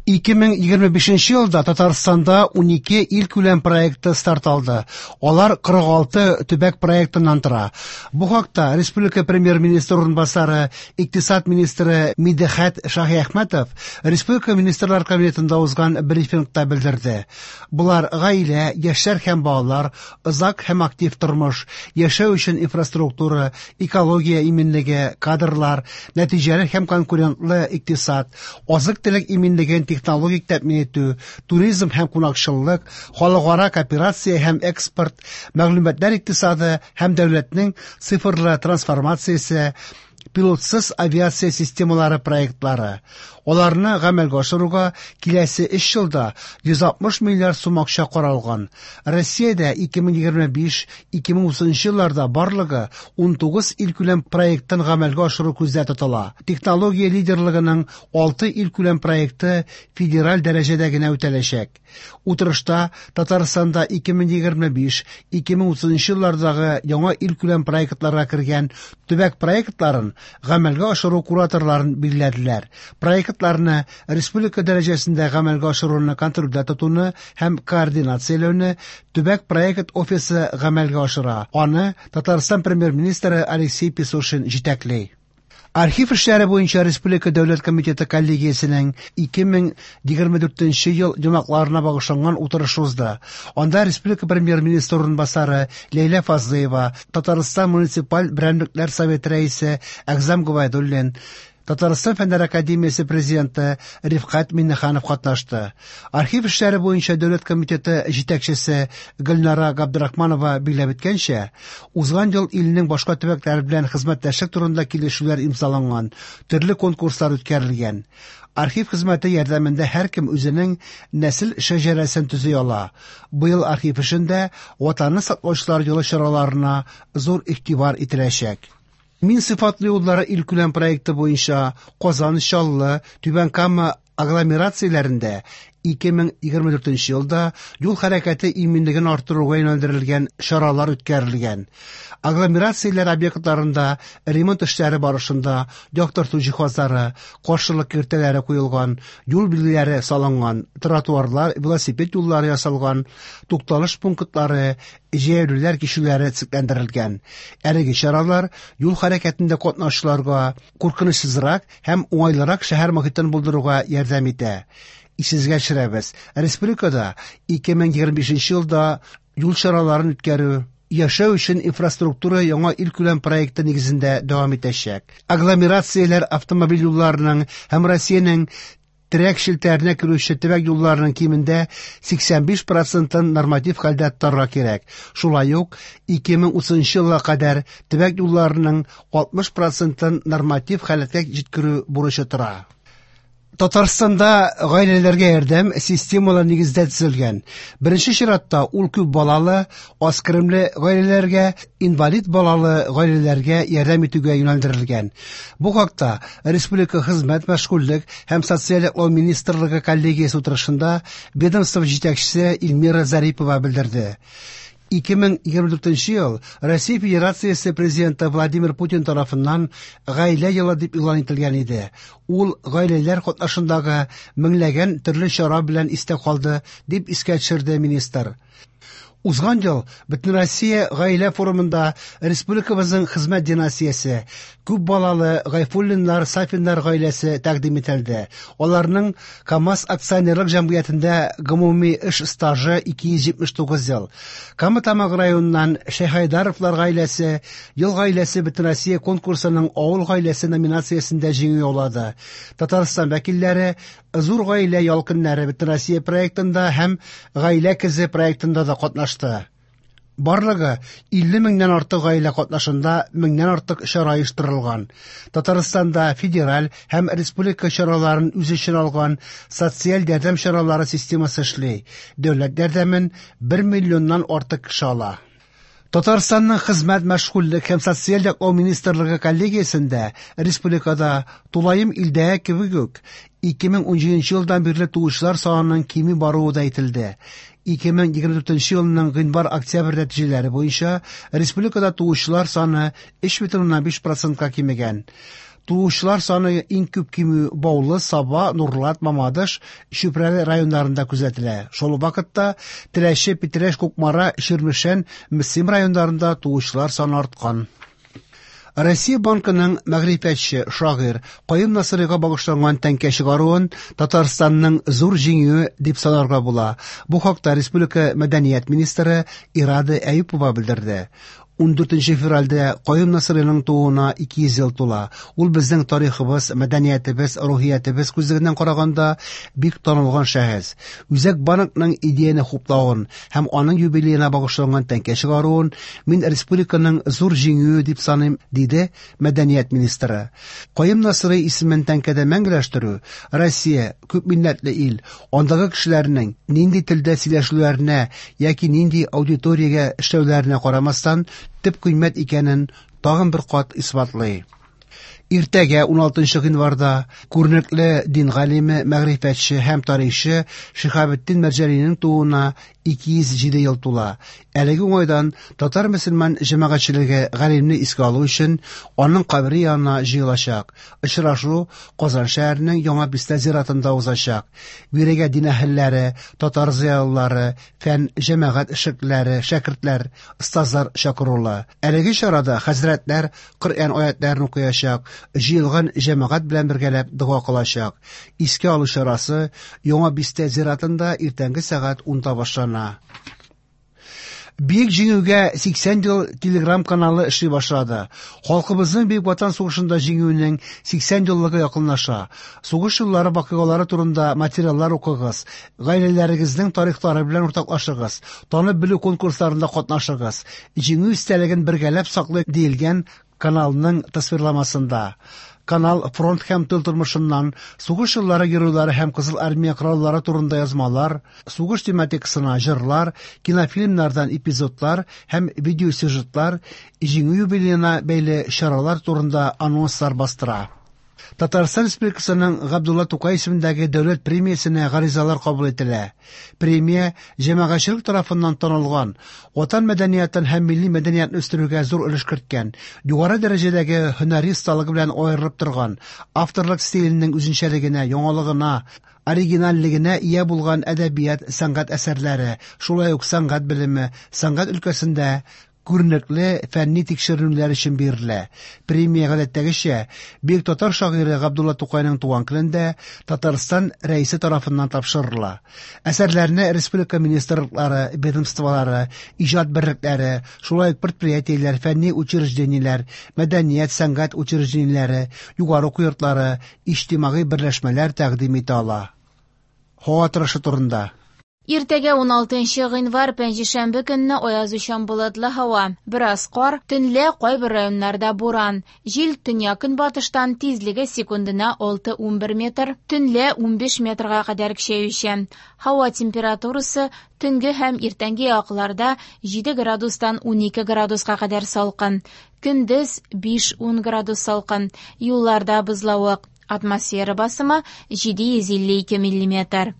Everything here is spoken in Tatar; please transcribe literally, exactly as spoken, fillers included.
ике мең егерме бишенче елда Татарстанда унике илкүләм проекты старт алды. Алар кырык алты төбәк проектыннан тора. Бу хакта республика премьер-министры урынбасары, икътисад министры Мидхәт Шаһиәхмәтов республика министрлар кабинетында узган брифингта белдерде. Булар гаилә, яшьләр һәм балалар, озак һәм актив тормыш, яшәү өчен инфраструктура, экология иминлеге, кадрлар, нәтиҗәле һәм конкурентлы икътисад, азык-төлек иминлеген технологик тәэмин итү, туризм һәм кунакчыллык, халыкара кооперация һәм экспорт, мәгълүматлар икътисады һәм дәүләтнең цифрлы трансформациясе, пилотсыз авиация системалары проектлары. Аларны гамәлгә ашыруга киләсе өч елда йөз алтмыш миллиард сум акча каралган. Россиядә ике мең егерме биш - ике мең утызынчы елларда барлыгы ун тугыз илкүләм проектын гамәлгә ашыру күздә тотыла. Технология лидерлыгының алты илкүләм проекты федераль дәрәҗәдә генә үтәләчәк. Утырышта Татарстанда ике мең егерме биш - ике мең утызынчы еллардагы яңа илкүләм проектларга кергән төбәк проектларын гамәлгә ашыру кураторларын билгеләделәр. Проектларны республика дәрәҗәсендә гамәлгә ашыруны контрольдә тотуны һәм координацияләүне төбәк проект офисы гамәлгә ашыра. Аны Татарстан премьер-министры Алексей Песошин җитәкли. Архив эшләре буенча Республика Дәүләт комитеты коллегиясенең ике мең егерме дүртенче ел йомгакларына багышланган утырыш узды. Анда Республика премьер-министры урынбасары Ләйлә Фазлыева, Татарстан муниципаль берәмлекләр советы рәисе Әгъзам Гобәйдуллин, Татарстан Фәннәр академиясе президенты Рифкать Миңнеханов катнашты. Архив эшләре буенча Дәүләт комитеты җитәкчесе Гөлнара Габдрахманова билгеләп үткәнчә, узган ел илнең башка төбәкләре белән хезмәттәшлек турында килешүләр имзаланган, төрле конкурслар үткәрелгән. Архив хезмәте ярдәмендә һәркем үзенең нәсел шәҗәрәсен төзи ала. Быел архив эшендә Ватанны саклаучылар елы чараларына зур игътибар ителәчәк. Мин сыйфатлы юллары илкүләм проекты буенча Казан, Чаллы, Түбән Кама агломерацияләрендә ике мең егерме дүртенче елда юл хәрәкәте иминлеген арттыруга юнәлдерелгән чаралар үткәрелгән. Агломерацияләр объектларында ремонт эшләре барышында яктырту җиһазлары, каршылык киртәләре куелган, юл билгеләре салынган, тротуарлар, велосипед юллары ясалган, тукталыш пунктлары, җәяүлеләр кичүләре төзекләндерелгән. Әлеге чаралар юл хәрәкәтендә катнашучыларга куркынычсызрак һәм уңайлырак шәһәр мохитен булдыруга ярдәм итә. Исегезгә төшерәбез, республикада ике мең егерме бишенче елда юл чараларын үткәрү яшәү өчен инфраструктура яңа илкүләм проекты нигезендә дәвам итәчәк. Агломерацияләр автомобиль юлларының һәм Россиянең терәк челтәренә керүче төбәк юлларының кимендә сиксән биш процентын норматив хәлдә тотарга кирәк. Шулай ук ике мең утызынчы елга кадәр төбәк юлларының алтмыш процентын норматив халәткә җиткерү бурычы тора. Татарстанда гаиләләргә ярдәм системалы нигездә төзелгән. Беренче чиратта ул күп балалы, аз керемле гаиләләргә, инвалид балалы гаиләләргә ярдәм итүгә юнәлдерелгән. Бу хакта Республика Хезмәт, мәшгульлек һәм социаль яклау министрлыгы коллегиясе утырышында ведомство җитәкчесе Эльмира Зарипова белдерде. Ике мең егерме дүртенче ел Россия Федерациясе президенты Владимир Путин тарафыннан гаилә елы дип игълан ителгән иде. Ул гаиләләр катнашындагы меңләгән төрле чара белән истә калды, дип искә төшерде министр. Узган ел Бөтенроссия гаилә форумында республикабызның хезмәт династиясе, күп балалы Гайфуллиннар, Сафиннар гаиләсе тәкъдим ителде. Аларның КАМАЗ акционерлык җәмгыятендә гомуми эш стажы ике йөз җитмеш тугыз ел. Кама Тамагы районыннан Шәйхайдаровлар гаиләсе Ел гаиләсе Бөтенроссия конкурсының Авыл гаиләсе номинациясендә җиңү яулады. Татарстан вәкилләре Зур гаилә ялкыннары Бөтенроссия проектында һәм Гаилә көзе проектында да катнашты. Барлыгы илле меңнән артык гаилә катнашында меңнән артык чара оештырылган. Татарстанда федераль һәм республика чараларын үз эченә алган социаль ярдәм чаралары системасы эшли. Дәүләт ярдәмен бер миллионнан артык кеше ала. Татарстанның Хезмәт, мәшгульлек һәм социаль яклау министрлыгы коллегиясендә республикада тулаем илдәге кебек үк ике мең унҗиденче елдан бирле туучылар санының кими баруы да әйтелде. Ике мең егерме дүртенче елның гыйнвар-октябрь нәтиҗәләре буенча республикада туучылар саны өч бөтен уннан биш процентка кимегән. Туучылар саны иң күп кимү Баулы, Саба, Нурлат, Мамадыш, Чүпрәле районнарында күзәтелә. Шул ук вакытта Теләче, Питрәч, Кукмара, Чирмешән, Мөслим районнарында туучылар саны арткан. Россия Банкының мәгърифәтче, шагыйрь Каюм Насыйрига багышланган тәңкә чыгаруын Татарстанның зур җиңүе дип санарга була. Бу хакта республика мәдәният министры Ирада Әюпова белдерде. Ундүртенче февральдә Каюм Насыйриның тууына ике йөз ел тула. Ул безнең тарихыбыз, мәдәниятебез, рухиятебез күзлегеннән караганда бик танылган шәхес. Үзәк банкның идеяне хуплавын һәм аның юбилеена багышланган тәңкә чыгаруын мин республиканың зур җиңүе дип саныйм, диде мәдәният министры. Каюм Насыйри исемен тәңкәдә мәңгеләштерү Россия күпмилләтле ил, андагы кешеләрнең нинди телдә сөйләшүләренә яки нинди аудиториягә эшләүләренә карамастан төп кыйммәт икәнен тагын бер кат исбатлый. Иртәгә уналтынчы гыйнварда күренекле дин галиме, мәгърифәтче һәм тарихчы Шиһабетдин Мәрҗанинең тууына ике йөз җиде ел тула. Әлеге уңайдан татар мөселман җәмәгатьчелеге галимне искә алу өчен аның кабере янына җыелачак. Очрашу Казан шәһәренең Яңа Бистә зиратында узачак. Бирегә дин әһелләре, татар зыялылары, фән, җәмәгать эшлеклеләре, шәкертләр, остазлар чакырулы. Әлеге чарада хәзрәтләр Коръән аятларын укыячак, җыелган җәмәгать белән бергәләп дога кылачак. Искә алу чарасы Яңа Бистә зиратында иртәнге сәгать унда башлана. Бөек Җиңүгә сиксән ел телеграм каналы эшли башлады. Халкыбызның Бөек Ватан сугышында җиңүенең сиксән еллыгы якынлаша. Сугыш еллары вакыйгалары турында материаллар укыгыз, гаиләләрегезнең тарихлары белән уртаклашыгыз, танып белү конкурсларында катнашыгыз. Җиңү истәлеген бергәләп саклыйк диелгән каналның тасвирламасында. Канал фронт һәм тыл тормышыннан, сугыш еллары геройлары һәм Кызыл Армия кораллары турында язмалар, сугыш тематикасына җырлар, кинофильмнардан эпизодлар һәм видеосюжетлар, җиңү юбилеена бәйле чаралар турында анонслар бастыра. Татарстан Республикасының Габдулла Тукай исемендәге дәүләт премиясенә гаризалар кабул ителә. Премия җәмәгатьчелек тарафыннан танылган, ватан мәдәниятын һәм милли мәдәниятне үстерүгә зур өлеш керткән, югары дәрәҗәдәге һөнәри осталыгы белән аерылып торган, авторлык стиленең үзенчәлегенә, яңалыгына, оригинальлегенә ия булган әдәбият, сәнгать әсәрләре, шулай ук сәнгать белеме, сәнгать өлкәсендә күренекле фәнни тикшеренүләр өчен бирелә. Премия гадәттәгечә бөек татар шагыйре Габдулла Тукайның туган көнендә Татарстан рәисе тарафыннан тапшырыла. Әсәрләрне республика министрлыклары, ведомстволары, иҗат берлекләре, шулай ук предприятиеләр, фәнни учреждениеләр, мәдәният, сәнгать учреждениеләре, югары уку йортлары, иҗтимагый берләшмәләр тәкъдим итә ала. Һава торышы турында. Иртәгә уналтынчы гыйнвар пәнҗешәмбе көнне аязучан болытлы һава, бераз кар, төнлә кайбер районнарда буран. Җил төньяк-көнбатыштан тизлеге секундына алты унбер метр, төнлә унбиш метрга кадәр көчәючән. Һава температурасы төнге һәм иртәнге якларда җиде градустан унике градуска кадәр салкын. Көндез биш-ун градус салкын. Юлларда бозлавык. Атмосфера басымы җиде йөз илле ике миллиметр.